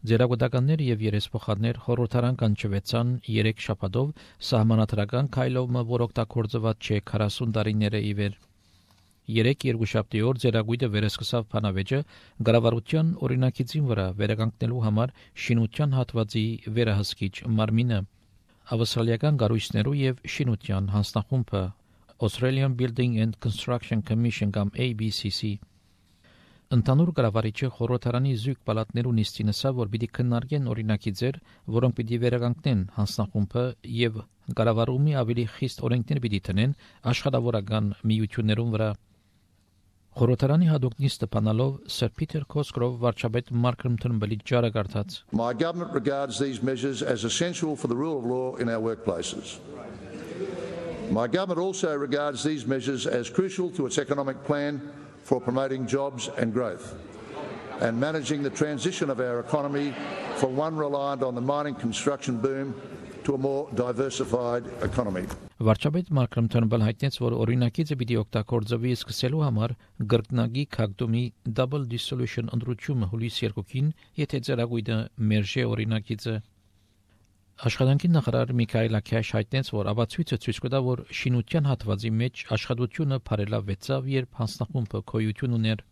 Ձերագուտականներ եւ երեսփոխաններ խորհրդարան կանչվեցան 3 շաբաթով սահմանադրական քայլովը, որ օգտագործված չէ 40 տարիները ի վեր։ 3 երկուշաբթի օր ձերագույտը վերսկսավ փանավեճը գրավարության օրինակիցին վրա վերականգնելու համար շինության հատվածի վերահսկիչ մարմինը ավստրալիական կառույցներու եւ շինության հանձնախումբը Australian Building and Construction Commission կամ ABCC Ընդհանուր կառավարիչը խորհրդարանի զույգ պալատներու նիստին ասավ, որ պիտի քննարկեն օրինակի ձեր, որոնք պիտի վերականգնեն հանձնախումբը եւ կառավարումի ավելի խիստ օրենքներ պիտի տնեն աշխատավորական միություններուն վրա։ Խորհրդարանի հadoop նիստը բանալով Sir Peter Cosgrove վարչապետ Malcolm Turnbull-ի ջարը կարդաց. My government regards these measures as essential for the rule of law in our workplaces. My government also regards these measures as crucial to its economic plan for promoting jobs and growth and managing the transition of our economy from one reliant on the mining construction boom to a more diversified economy. Վարչապետ Malcolm Turnbull հայտնեց, որ օրինակիցը պիտի օգտագործվի սկսելու համար գրկնագի քագդումի double dissolution ընդրությունը հուլիս 2-ին, եթե ձերագույտը մերժե օրինակիցը։ Աշխատանքի նախարար Միքայել Աքյաշ հայտնեց, որ ապացույցը ցույց կտա, որ շինության հատվածի մեջ աշխատությունը բարելավվեցավ, երբ հանձնախումբը գոյություն ուներ։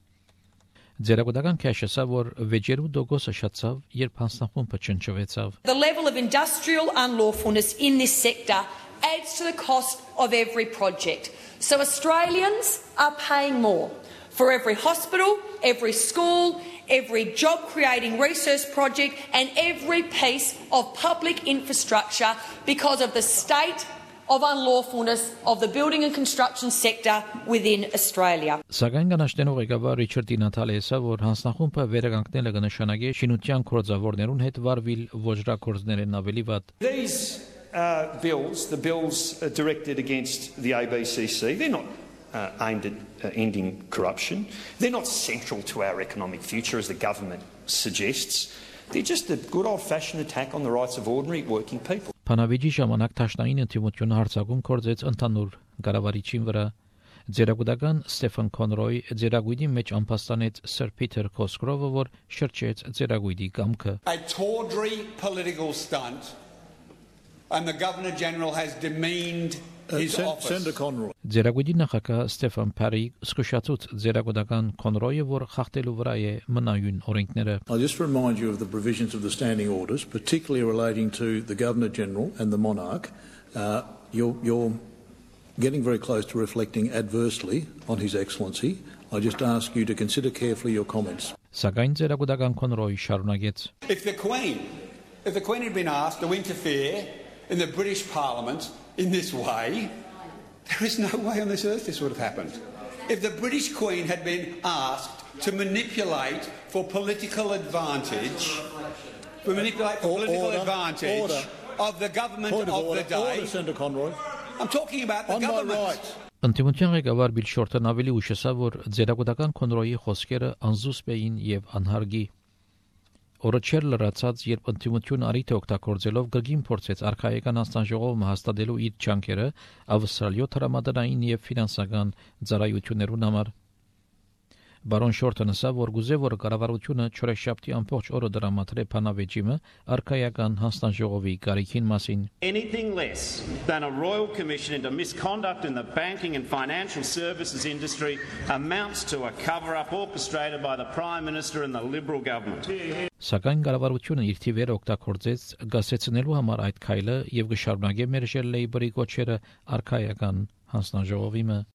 Ձերագուտական քաշեսա, որ վեճերու դոգոսը շացավ, երբ հանձնախումբը չնչվեցավ։ The level of industrial unlawfulness in this sector adds to the cost of every project. So Australians are paying more for every hospital, every school, every job-creating research project and every piece of public infrastructure because of the state of unlawfulness of the building and construction sector within Australia. Սակայն կանաշտենող ղեկավար Ռիչարդ Նաթալեսը, որ հանձնախումբը վերականգնելը կնշանակի շինության գործավորներուն հետ վարվել ոչրագործներն ավելի վատ։ These bills, the bills directed against the ABCC, they're not aimed at ending corruption. They're not central to our economic future, as the government suggests. They're just a good old-fashioned attack on the rights of ordinary working people. Փանավիճի ժամանակ Թաշնային ընդդիմությունը հարձակում կործեց ընդհանուր կառավարիչին վրա։ Ձերագուտական Ստեֆան Քոնրոյ ձերագույդի մեջ ամփոստանեց Sir Peter Cosgrove, որ շրջեց ձերագույդի կամքը։ A tawdry political stunt, and the Governor General has demeaned his office. Senator Conroy. Ձերագույդի նախագահ Ստեֆան Փարի զսկուշացուց ձերագուտական Քոնրոյը, որ խախտելու վրա է մնայուն օրենքները։ I just remind you of the provisions of the standing orders, particularly relating to the Governor General and the Monarch. You're getting very close to reflecting adversely on His Excellency. I just ask you to consider carefully your comments. Սակայն ձերագուտական Քոնրոյը շարունակեց. If the Queen had been asked to interfere in the British Parliament in this way, there is no way on this earth this would have happened. If the British Queen had been asked to manipulate for political advantage, of the government of the day, Senator Conroy. I'm talking about the government. Ընդդիմության ղեկավար Բիլ Շորտն ավելի ուշացավ, որ ձերագուտական Քոնրոյի խոսքերը անզուսպ էին եւ անհարգի։ Օրը չեր լրացած, երբ ընդդիմությունը արիթ օգտագործելով գգին փորձեց արխայական անձնաժողովը հաստատելու իր ջանքերը ավստրալիո տրամադրային եւ ֆինանսական ծառայություններուն համար։ Բարոն Շորտն ասավ, որ գուզե որ կառավարությունը չորեքշաբթի ամբողջ օրը դրամատրե փանավեճիմը արխայական հանձնաժողովի կարիքին մասին։ Anything less than a royal commission into misconduct in the banking and financial services industry amounts to a cover-up orchestrated by the Prime Minister and the Liberal government. Սակայն կառավարությունը իր թիվերը օգտագործեց գասեցնելու համար այդ քայլը եւ կշարունակե մերժել Լեյբորի կոչերը արխայական հանձնաժողովի։